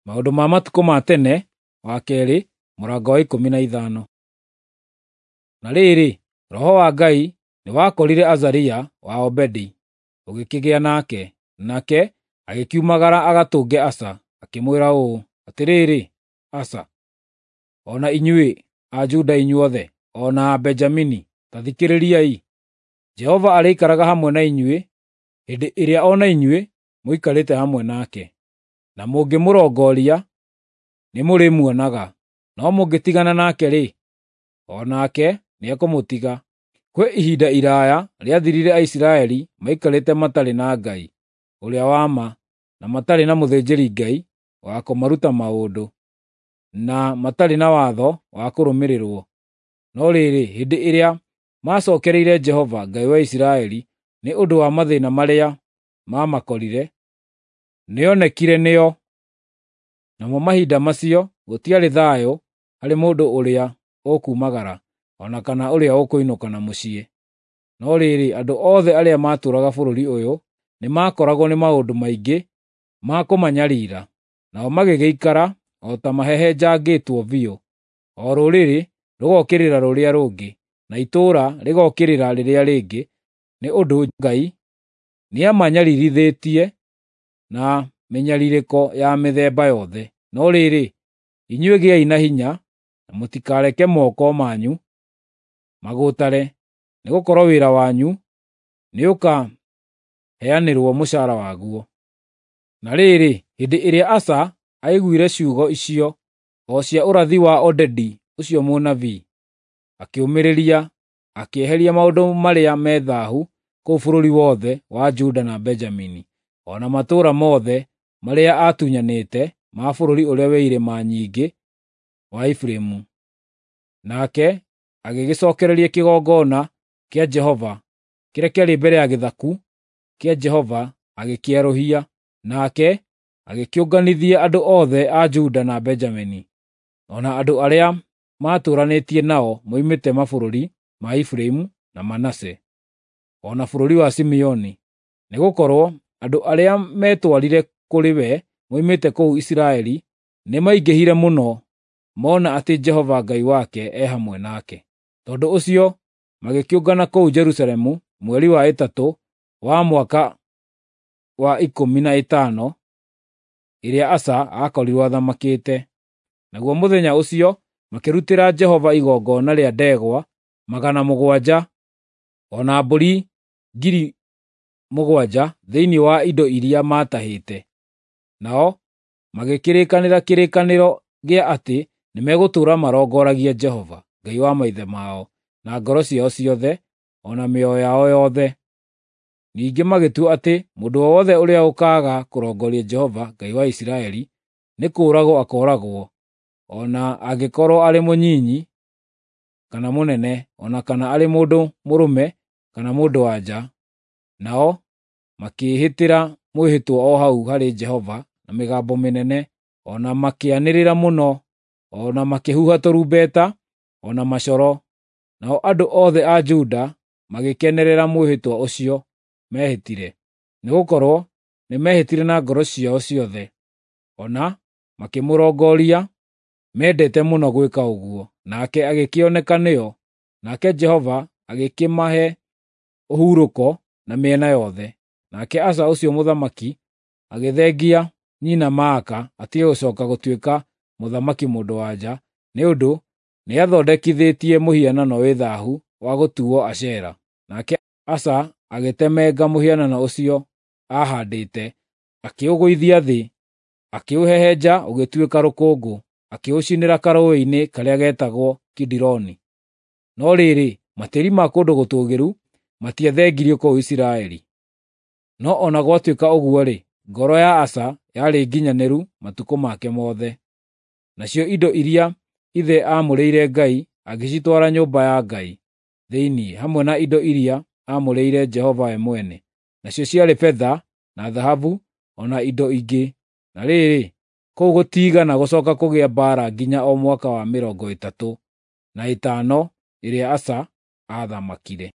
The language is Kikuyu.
Maũndũ ma matukũ ma tene wa kerĩ mũrango wa 15. Na rĩrĩ, Roho wa Ngai nĩwakorire Azaria wa Obedi, ũgĩkĩgĩa nake, nake agĩkiumagara agatũnge Asa, akĩmwĩra ũũ, “Atĩrĩrĩ, Asa, o na inyuĩ a Juda inyuothe, o na a Benjamini, ta thikĩrĩriai! Jehova arĩikaraga hamwe na inyuĩ hĩndĩ ĩrĩa o na inyuĩ mũikarĩte hamwe nake. Na mũngĩmũrongoria, nĩmũrĩmuonaga, no mũngĩtigana nake-rĩ, o nake nĩekũmũtiga. Kwĩ ihinda iraaya rĩathirire Aisiraeli maikarĩte matarĩ na Ngai ũrĩa wa ma, na matarĩ na mũthĩnjĩri-Ngai wa kũmaruta maũndũ, na matarĩ na watho wa kũrũmĩrĩrwo. No rĩrĩ, hĩndĩ ĩrĩa macookereire Jehova, Ngai wa Isiraeli, nĩ ũndũ wa mathĩĩna marĩa maamakorire, nĩonekire nĩo. Namo mahinda macio gũtiarĩ thayũ harĩ mũndũ ũrĩa ũkumagara, o na kana ũrĩa ũkũinũka na mũciĩ. No rĩrĩ, andũ othe arĩa maatũũraga bũrũri ũyũ nĩmakoragwo nĩ maũndũ maingĩ ma kũmanyariira, nao magĩgĩikara o ta mahehenjangĩtwo biũ, o rũrĩrĩ rũgookĩrĩra rũrĩa rũngĩ, na itũũra rĩgookĩrĩra rĩrĩa rĩngĩ, nĩ ũndũ Ngai nĩamanyariirithĩtie na mĩnyarirĩko ya mĩthemba yothe. No rĩrĩ, inyuĩ gĩai na hinya, na mũtikareke moko manyu magũũtare, nĩgũkorwo wĩra wanyu nĩũkaheanĩrwo mũcaara waguo.” Na rĩrĩ, hĩndĩ ĩrĩa Asa aiguire ciugo icio, o cia ũrathi wa Odedi ũcio mũnabii, akĩũmĩrĩria, akĩeheria maũndũ marĩa me thaahu kũu bũrũri wothe wa Juda na Benjamini, o na matũũra mothe marĩa aatunyanĩte ma bũrũri ũrĩa wĩ irĩma nyingĩ wa Efiraimu. Nake agĩgĩcookereria kĩgongona kĩa Jehova kĩrĩa kĩarĩ mbere ya gĩthaku kĩa Jehova agĩkĩerũhia. Nake agĩkĩũnganithia andũ othe a Juda na Benjamini, o na andũ arĩa maatũũranĩtie nao moimĩte mabũrũri ma Efiraimu na Manase, o na bũrũri wa Simeoni, nĩgũkorwo andũ arĩa meetwarire kũrĩ we moimĩte kũu Isiraeli nĩmaingĩhire mũno mona atĩ Jehova Ngai wake e hamwe nake. Tondũ ũcio magĩkĩũngana kũu Jerusalemu mweri wa ĩtatũ wa mwaka wa 15 ĩrĩa Asa aakorirwo athamakĩte. Naguo mũthenya ũcio makĩrutĩra Jehova igongona rĩa ndegwa 700 o na mbũri 7,000 thĩinĩ wa indo iria maatahĩte. Nao magĩkĩrĩkanĩra kĩrĩkanĩro gĩa atĩ nĩmegũtũũra marongoragia Jehova, Ngai wa maithe mao, na ngoro ciao ciothe, o na mĩoyo yao yothe. Ningĩ magĩtua atĩ mũndũ o wothe ũrĩa ũkaaga kũrongoria Jehova, Ngai wa Isiraeli, nĩ kũũragwo akooragwo, o na angĩkorwo arĩ mũnyinyi kana mũnene, o na kana arĩ mũndũ mũrũme kana mũndũ-wa-nja. Nao makĩĩhĩtĩra mwĩhĩtwa o hau harĩ Jehova na mĩgambo mĩnene, o na makĩanĩrĩra mũno, o na makĩhuha tũrumbeta, o na macoro. Nao andũ othe a Juda magĩkenerera mwĩhĩtwa ũcio meehĩtire, nĩgũkorwo nĩmehĩtire na ngoro ciao ciothe, o na makĩmũrongoria mendete mũno gwĩka ũguo, nake agĩkĩoneka nĩo. Nake Jehova agĩkĩmahe ũhurũko na mĩena yothe. Nake Asa ũcio mũthamaki agĩthengia nyina Maaka atige gũcooka gũtuĩka mũthamaki mũndũ-wa-nja, nĩ ũndũ nĩathondekithĩtie mũhianano wĩ thaahu wa gũtuuo Ashera. Nake Asa agĩtemenga mũhianano ũcio aahaandĩte, akĩũgũithia thĩ, akĩũhehenja ũgĩtuĩka rũkũngũ, akĩũcinĩra karũũĩ-inĩ karĩa getagwo Kidironi. No rĩrĩ, matĩĩri ma kũndũ gũtũũgĩru matiathengirio kũu Isiraeli. No o na gwatuĩka ũguo-rĩ, ngoro ya Asa yarĩ nginyanĩru matukũ make mothe. Nacio indo iria ithe aamũrĩire Ngai agĩcitwara nyũmba ya Ngai thĩinĩ, hamwe na indo iria aamũrĩire Jehova we mwene, nacio ciarĩ betha na thahabu o na indo ingĩ. Na rĩrĩ, kũu gũtiigana gũcooka kũgĩa mbaara nginya o mwaka wa 35 ĩrĩa Asa aathamakire.